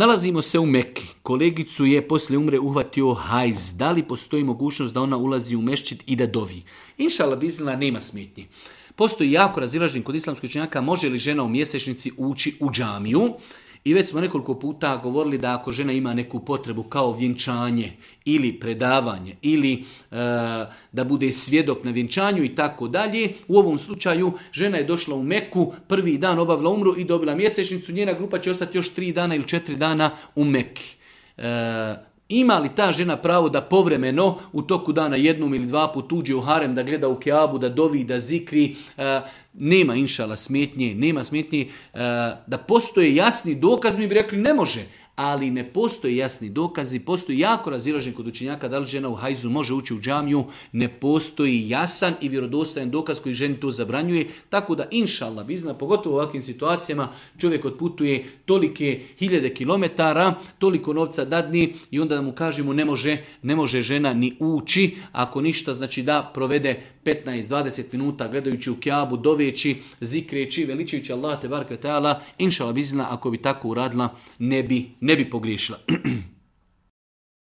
Nalazimo se u Mekki. Kolegicu je poslije umre uhvatio hajz. Da li postoji mogućnost da ona ulazi u mešćid i da dovi? Inšala biznila nema smetnji. Postoji jako razilaženje kod islamskih učenjaka može li žena u mjesečnici ući u džamiju. I već smo nekoliko puta govorili da ako žena ima neku potrebu kao vjenčanje ili predavanje ili da bude svjedok na vjenčanju i tako dalje, u ovom slučaju žena je došla u Meku, prvi dan obavila umru i dobila mjesečnicu, njena grupa će ostati još 3 dana ili 4 dana u Meki. Ima li ta žena pravo da povremeno u toku dana jednom ili 2 put uđe u harem, da gleda u Keabu, da dovi, da zikri? Nema inšala smetnje, nema smetnje. Da postoje jasni dokaz, mi bi rekli ne može. Ali ne postoje jasni dokazi, postoji jako razilaženje kod učenjaka da li žena u hajzu može ući u džamiju, ne postoji jasan i vjerodostojan dokaz koji ženi to zabranjuje, tako da inšallah bizna, pogotovo u ovakvim situacijama, čovjek otputuje tolike hiljade kilometara, toliko novca dadni i onda mu kažemo ne može žena ni ući, ako ništa znači da provede 15-20 minuta gledajući u Kjabu, doveći, zikreći, veličajući Allah te bareke ve taala, inšallah bizna, ako bi tako uradila ne bi pogriješila.